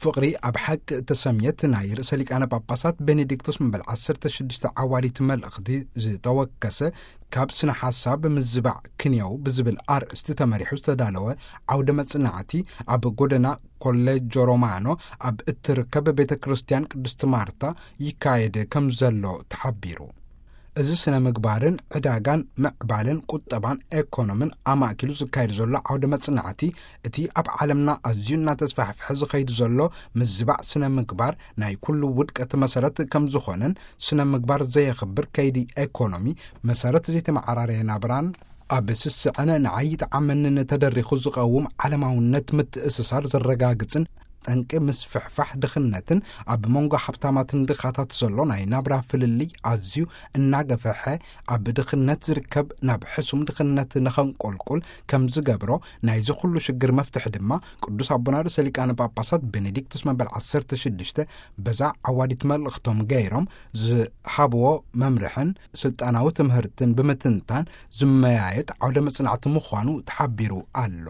ፍቕሪ ኣብ ሓቂ እተሰምየት ናይ ርእሰ ሊቃነ ጳጳሳት ቤኔዲክቶስ መበል ዓሰርተ ሽዱሽተ ዓዋዲት መልእኽቲ ዝተወከሰ፣ ካብ ስነ ሓሳብ ምዝባዕ ክንየው ብዝብል ኣርእስቲ ተመሪሑ ዝተዳለወ ዓውደ መጽናዕቲ፣ ኣብ ጎደና ኮሌጆ ሮማኖ ኣብ እትርከብ ቤተ ክርስቲያን ቅድስት ማርታ ይካየድ ከም ዘሎ ተሓቢሩ። እዚ ስነ ምግባርን ዕዳጋን ምዕባለን ቁጠባን ኤኮኖምን ኣማእኪሉ ዝካየድ ዘሎ ዓውደ መጽናዕቲ፣ እቲ ኣብ ዓለምና ኣዝዩ እናተስፋሕፍሐ ዝኸይድ ዘሎ ምዝባዕ ስነ ምግባር ናይ ኩሉ ውድቀት መሰረት ከም ዝኾነን፣ ስነ ምግባር ዘየኽብር ከይዲ ኤኮኖሚ፣ መሰረት ዘይተመዓራረየ ናብራን ኣብ ስስዐን ንዓይ ጠዓመንን ተደሪኹ ዝቐውም ዓለማውነት ምትእስሳር ዘረጋግጽን፣ ጠንቂ ምስፍሕፋሕ ድኽነትን ኣብ መንጎ ሃብታማትን ድኻታት ዘሎ ናይ ናብራ ፍልልይ ኣዝዩ እናገፈሐ፣ ኣብ ድኽነት ዝርከብ ናብ ሕሱም ድኽነት ንኸንቆልቁል ከም ዝገብሮ፣ ናይዚ ኩሉ ሽግር መፍትሒ ድማ ቅዱስ ኣቦና ርእሰ ሊቃነ ጳጳሳት ቤኔዲክቶስ መበል ዓሰርተ ሽዱሽተ በዛ ዓዋዲት መልእኽቶም ገይሮም ዝሃብዎ መምርሕን ስልጣናዊ ትምህርትን ብምትንታን ዝመያየጥ ዓውደ መጽናዕቲ ምዃኑ ተሓቢሩ ኣሎ።